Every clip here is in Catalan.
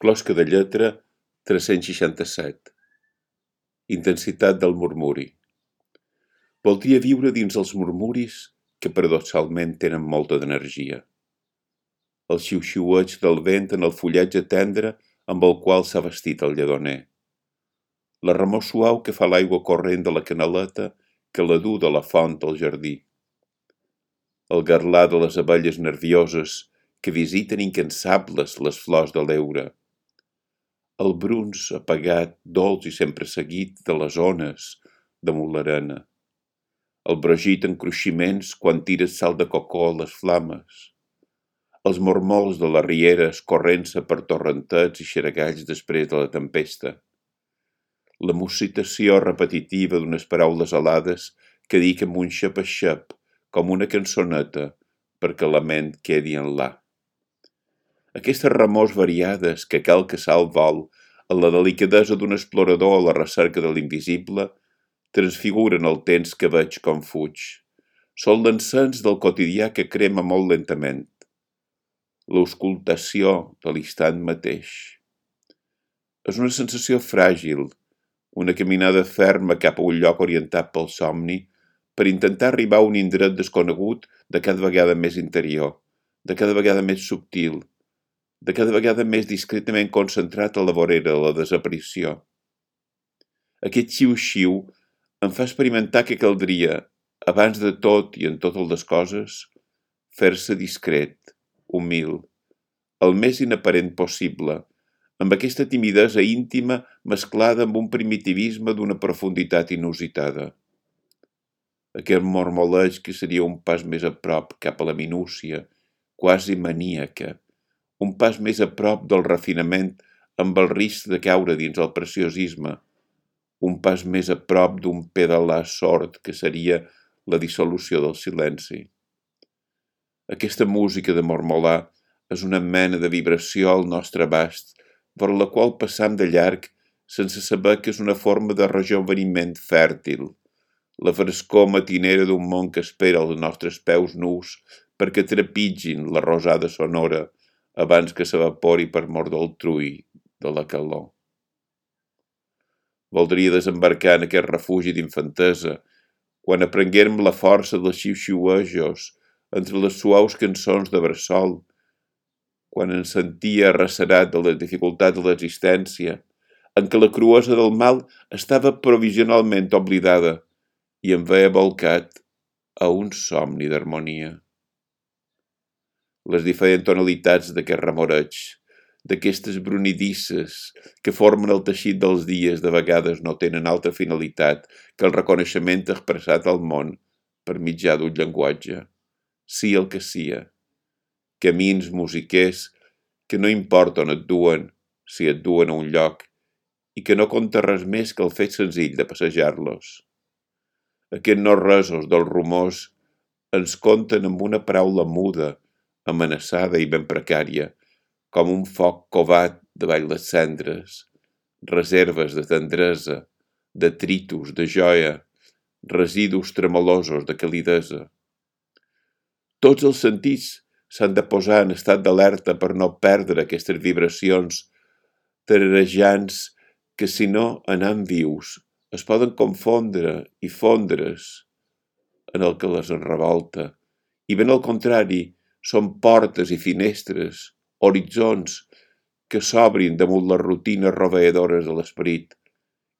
Closca de lletra 367. Intensitat del murmuri. Voldria viure dins els murmuris que paradoxalment tenen molta d'energia. El xiu-xiueig del vent en el fullatge tendre amb el qual s'ha vestit el lledoner. La remor suau que fa l'aigua corrent de la canaleta que la du de la font al jardí. El garlar de les abelles nervioses que visiten incansables les flors de l'heura. El bruns apagat, dolç i sempre seguit de les ones damunt l'arena. El brogit en cruiximents quan tires sal de cocó a les flames. Els mormols de les rieres corrent-se per torrentets i xeragalls després de la tempesta. La musitació repetitiva d'unes paraules alades que dic amb un xep a xep, com una cançoneta, perquè la ment quedi en la. Aquestes remors variades que calca sal vol a la delicadesa d'un explorador a la recerca de l'invisible transfiguren el temps que veig com fuig. Són l'encens del quotidià que crema molt lentament. L'auscultació de l'instant mateix. És una sensació fràgil, una caminada ferma cap a un lloc orientat pel somni per intentar arribar a un indret desconegut de cada vegada més interior, de cada vegada més subtil, de cada vegada més discretament concentrat a la vorera de la desaparició. Aquest xiu-xiu em fa experimentar que caldria, abans de tot i en totes les coses, fer-se discret, humil, el més inaparent possible, amb aquesta timidesa íntima mesclada amb un primitivisme d'una profunditat inusitada. Aquest mormoleig que seria un pas més a prop cap a la minúcia, quasi maníaca, un pas més a prop del refinament amb el risc de caure dins el preciosisme, un pas més a prop d'un pedalar sord que seria la dissolució del silenci. Aquesta música de mormolar és una mena de vibració al nostre abast, per la qual passam de llarg sense saber que és una forma de rejoveniment fèrtil, la frescor matinera d'un món que espera els nostres peus nus perquè trepitgin la rosada sonora abans que s'evapori per mort del trull de la calor. Voldria desembarcar en aquest refugi d'infantesa, quan aprenguérem la força dels xiu-xiuejos entre les suaus cançons de bressol, quan ens sentia arrecerat de la dificultat de l'existència, en què la cruesa del mal estava provisionalment oblidada i em veia volcat a un somni d'harmonia. Les diferents tonalitats d'aquest remoreig, d'aquestes brunidisses que formen el teixit dels dies de vegades no tenen altra finalitat que el reconeixement expressat al món per mitjà d'un llenguatge, sí el que sia, camins musiquers que no importa on et duen, si et duen a un lloc, i que no compta res més que el fet senzill de passejar-los. Aquests no-resos dels rumors ens conten amb una paraula muda, amenaçada i ben precària, com un foc covat davall les cendres, reserves de tendresa, detritus, de joia, residus tremolosos de calidesa. Tots els sentits s'han de posar en estat d'alerta per no perdre aquestes vibracions tararejants que, si no anant vius, es poden confondre i fondre's en el que les enrevolta, i ben al contrari, són portes i finestres, horitzons, que s'obrin damunt les rutines roveïdores de l'esperit,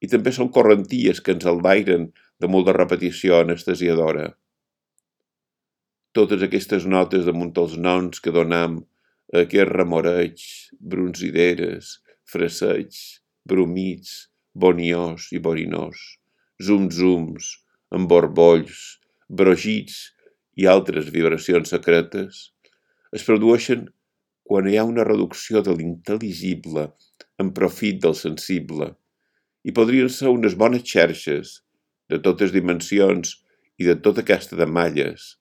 i també són correnties que ens enlairen damunt la repetició anestesiadora. Totes aquestes notes damunt els noms que donam a aquests remoreigs, bronzideres, fraseigs, bromits, boniós i borinós, zum-zums, emborbolls, brogits i altres vibracions secretes, es produeixen quan hi ha una reducció de l'intel·ligible en profit del sensible, i podrien ser unes bones xerxes, de totes dimensions i de tota casta de malles,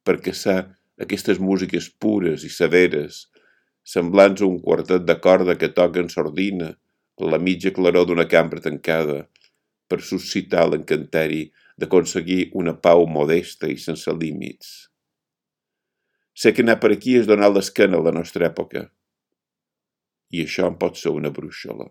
perquè ser aquestes músiques pures i severes, semblants a un quartet de corda que toca en sordina, a la mitja claror d'una cambra tancada, per suscitar l'encanteri d'aconseguir una pau modesta i sense límits. Sé que anar per aquí és donar l'esquena a la nostra època. i això en pot ser una brúixola.